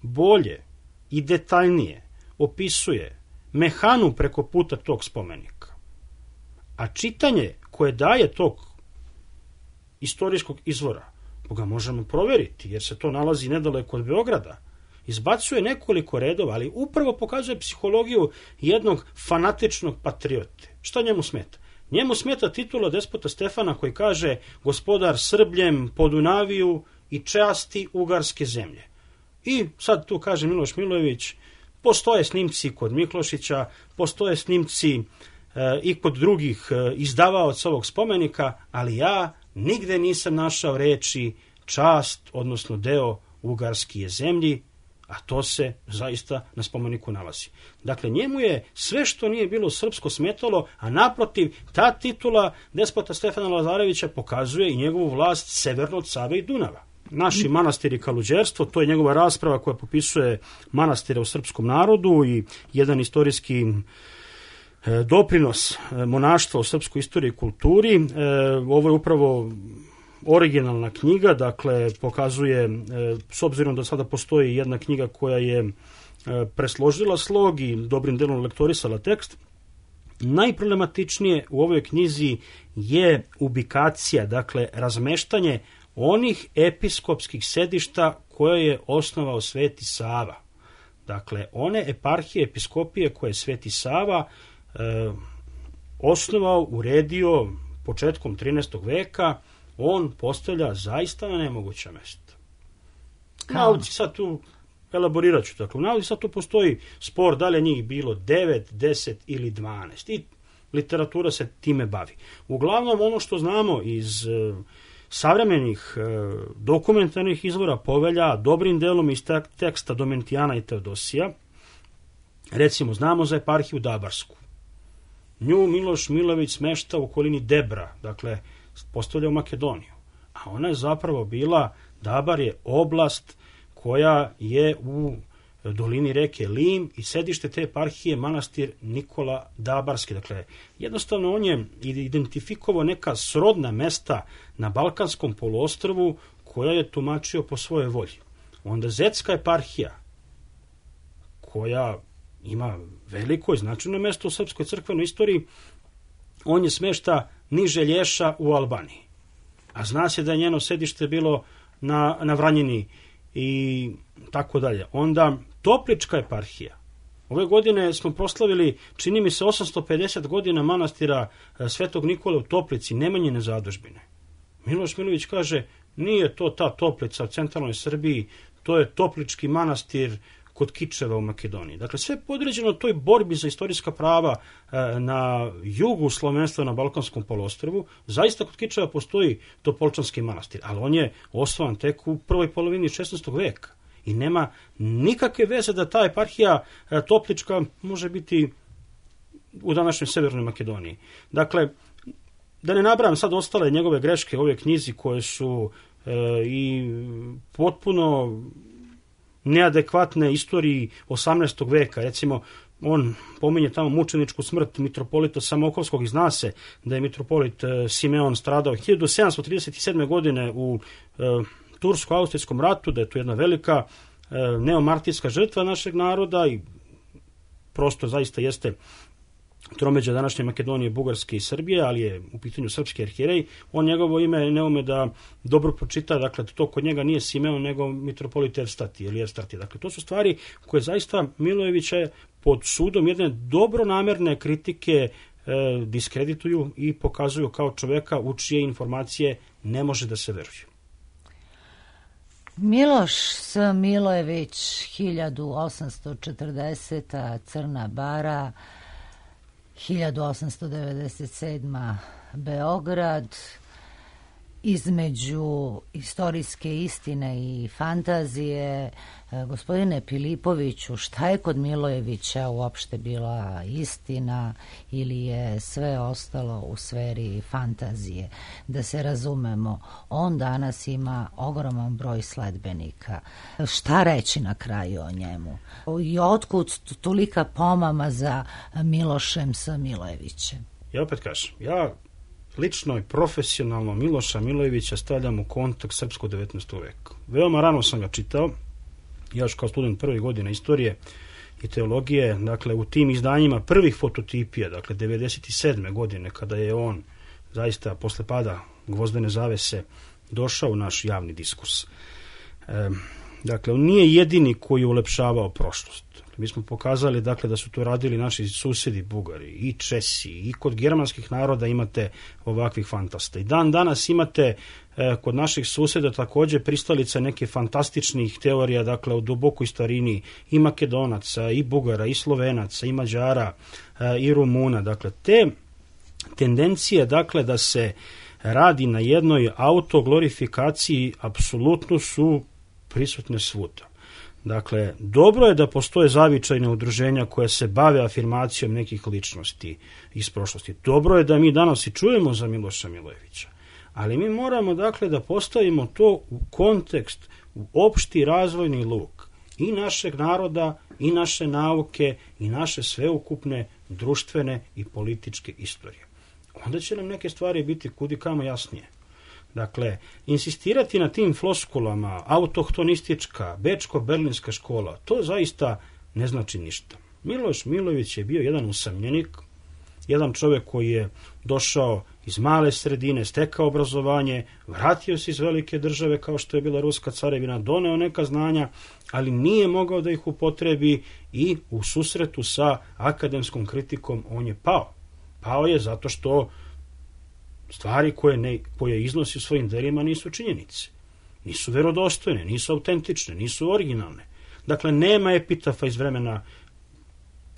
bolje i detaljnije opisuje mehanu preko puta tog spomenika. A čitanje koje daje tog istorijskog izvora, ga možemo proveriti, jer se to nalazi nedaleko od Beograda, izbacuje nekoliko redova, ali upravo pokazuje psihologiju jednog fanatičnog patriote. Šta njemu smeta? Njemu smeta titula despota Stefana koji kaže gospodar Srbljem, Podunaviju i časti ugarske zemlje. I sad tu kaže Miloš Milojević, postoje snimci kod Miklošića, postoje snimci i kod drugih izdavaoca ovog spomenika, ali ja nigde nisam našao reči čast, odnosno deo ugarskije zemlji, a to se zaista na spomeniku nalazi. Dakle, njemu je sve što nije bilo srpsko smetalo, a naprotiv, ta titula despota Stefana Lazarevića pokazuje i njegovu vlast severno od Save i Dunava. Naši manastiri kaluđerstvo, to je njegova rasprava koja popisuje manastire u srpskom narodu i jedan istorijski doprinos monaštva u srpskoj istoriji i kulturi. Ovo je upravo originalna knjiga, dakle pokazuje, s obzirom da sada postoji jedna knjiga koja je presložila slog i dobrim delom lektorisala tekst, najproblematičnije u ovoj knjizi je ubikacija, dakle razmeštanje onih episkopskih sedišta koje je osnovao Sveti Sava. Dakle, one eparhije, episkopije koje je Sveti Sava osnovao, uredio početkom 13. veka, on postavlja zaista na nemoguća mesta. Nauci sad tu, elaborirat ću, dakle, u nauci sad tu postoji spor da li je njih bilo 9, 10 ili 12 i literatura se time bavi. Uglavnom, ono što znamo iz savremenih dokumentarnih izvora povelja, dobrim delom iz teksta Domentijana i Teodosija, recimo, znamo za eparhiju Dabarsku. Nju Miloš Milojević smešta u okolini Debra, dakle, postavlja u Makedoniju. A ona je zapravo bila, Dabar je oblast koja je u dolini reke Lim i sedište te eparhije manastir Nikola Dabarski. Dakle, jednostavno on je identifikovao neka srodna mesta na Balkanskom poluostrvu koja je tumačio po svojoj volji. Onda Zetska eparhija, koja ima veliko i značajno mesto u srpskoj crkvenoj istoriji, on je smešta niže Lješa u Albaniji. A zna se da je njeno sedište bilo na Vranjini i tako dalje. Onda Toplička eparhija. Ove godine smo proslavili, čini mi se, 850 godina manastira Svetog Nikole u Toplici, Nemanjine zadužbine. Miloš Milojević kaže, nije to ta Toplica u centralnoj Srbiji, to je Toplički manastir kod Kičeva u Makedoniji. Dakle, sve je podređeno toj borbi za istorijska prava na jugu slovenstva na Balkanskom poluostrvu. Zaista kod Kičeva postoji Topolčanski manastir, ali on je osnovan tek u prvoj polovini 16. veka. I nema nikakve veze da ta eparhija Toplička može biti u današnjoj Severnoj Makedoniji. Dakle, da ne nabrajam sad ostale njegove greške u ove knjizi koje su i potpuno neadekvatne istoriji 18. veka. Recimo, on pominje tamo mučeničku smrt mitropolita Samokovskog i zna se da je mitropolit Simeon stradao 1737. godine u Tursko-Austrijskom ratu, da je to jedna velika neomartijska žrtva našeg naroda i prosto zaista jeste tromeđa današnje Makedonije, Bugarske i Srbije, ali je u pitanju srpski arhijerej. On njegovo ime ne ume da dobro pročita, dakle to kod njega nije Simeon nego mitropolit Erstati ili Erstati. Dakle to su stvari koje zaista Milojevića pod sudom jedne dobronamerne kritike diskredituju i pokazuju kao čoveka u čije informacije ne može da se veruje. Miloš S. Milojević, 1840. Crna Bara, 1897. Beograd. Između istorijske istine i fantazije, gospodine Pilipoviću, šta je kod Milojevića uopšte bila istina ili je sve ostalo u sferi fantazije? Da se razumemo, on danas ima ogroman broj sledbenika. Šta reći na kraju o njemu? I otkud tolika pomama za Milošem S. Milojevićem? Ja opet kažem, ja lično i profesionalno Miloša Milojevića stavljam u kontekst srpskog 19. veka. Veoma rano sam ga čitao, ja još kao student prve godine istorije i teologije, dakle u tim izdanjima prvih fototipija, dakle 97. godine, kada je on zaista posle pada gvozdene zavese došao u naš javni diskurs. Dakle, on nije jedini koji je ulepšavao prošlost. Mi smo pokazali dakle da su to radili naši susedi Bugari i Česi i kod germanskih naroda imate ovakvih fantasta. I dan danas imate kod naših suseda takođe pristalica neke fantastičnih teorija, dakle o dubokoj starini i Makedonaca i Bugara i Slovenaca i Mađara i Rumuna. Dakle, te tendencije dakle da se radi na jednoj autoglorifikaciji apsolutno su prisutne svuda. Dakle, dobro je da postoje zavičajne udruženja koje se bave afirmacijom nekih ličnosti iz prošlosti. Dobro je da mi danas i čujemo za Miloša Milojevića, ali mi moramo dakle da postavimo to u kontekst, u opšti razvojni luk i našeg naroda, i naše nauke, i naše sveukupne društvene i političke istorije. Onda će nam neke stvari biti kudikamo jasnije. Dakle, insistirati na tim floskulama, autohtonistička, bečko-berlinska škola, to zaista ne znači ništa. Miloš Milojević je bio jedan usamljenik, jedan čovjek koji je došao iz male sredine, stekao obrazovanje, vratio se iz velike države kao što je bila Ruska carevina, doneo neka znanja, ali nije mogao da ih upotrebi i u susretu sa akademskom kritikom on je pao. Pao je zato što stvari koje iznosi u svojim delima nisu činjenice, nisu verodostojne, nisu autentične, nisu originalne. Dakle, nema epitafa iz vremena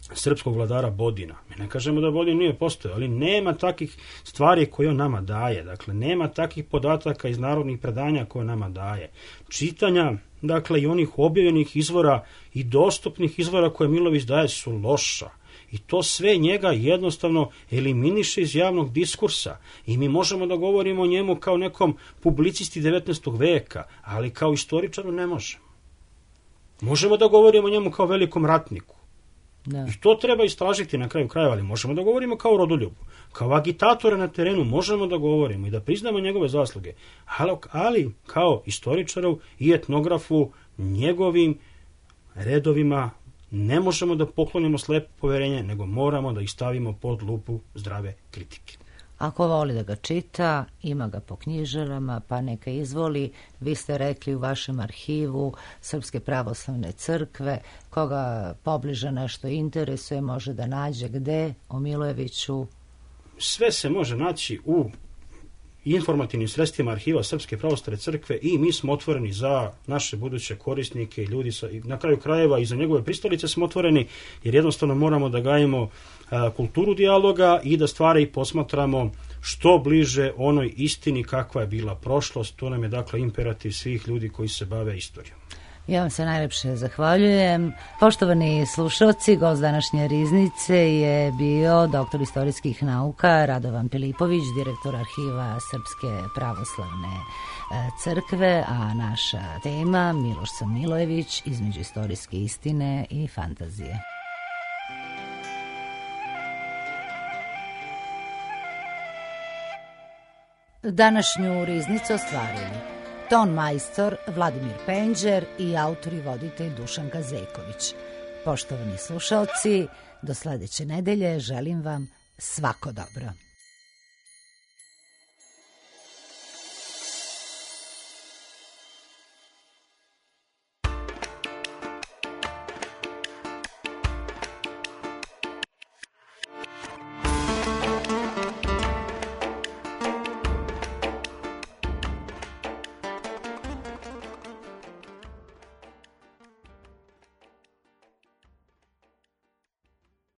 srpskog vladara Bodina. Mi ne kažemo da Bodin nije postojao, ali nema takih stvari koje on nama daje. Dakle, nema takih podataka iz narodnih predanja koje nama daje. Čitanja, dakle, i onih objavljenih izvora i dostupnih izvora koje Milojević daje su loša. I to sve njega jednostavno eliminiše iz javnog diskursa. I mi možemo da govorimo o njemu kao nekom publicisti 19. veka, ali kao istoričaru ne možemo. Možemo da govorimo o njemu kao velikom ratniku. Da. I to treba istražiti na kraju krajeva, ali možemo da govorimo kao rodoljubu. Kao agitatora na terenu možemo da govorimo i da priznamo njegove zasluge. Ali kao istoričaru i etnografu njegovim redovima ne možemo da poklonimo slepo poverenje, nego moramo da ih stavimo pod lupu zdrave kritike. Ako voli da ga čita, ima ga po knjižarama, pa neka izvoli. Vi ste rekli u vašem arhivu Srpske pravoslavne crkve, koga pobliže nešto interesuje, može da nađe gde o Milojeviću? Sve se može naći u informativnim sredstvima arhiva Srpske pravoslavne crkve i mi smo otvoreni za naše buduće korisnike i ljudi, na kraju krajeva i za njegove pristalice smo otvoreni, jer jednostavno moramo da gajimo kulturu dijaloga i da stvari posmatramo što bliže onoj istini kakva je bila prošlost. To nam je dakle imperativ svih ljudi koji se bave istorijom. Ja vam se najlepše zahvaljujem. Poštovani slušalci, gost današnje Riznice je bio doktor istorijskih nauka Radovan Pilipović, direktor arhiva Srpske pravoslavne crkve, a naša tema Miloš S. Milojević, između istorijske istine i fantazije. Današnju riznicu ostvarili ton majstor Vladimir Penđer i autor i voditelj Dušan Kazeković. Poštovani slušaoci, do sledeće nedelje želim vam svako dobro.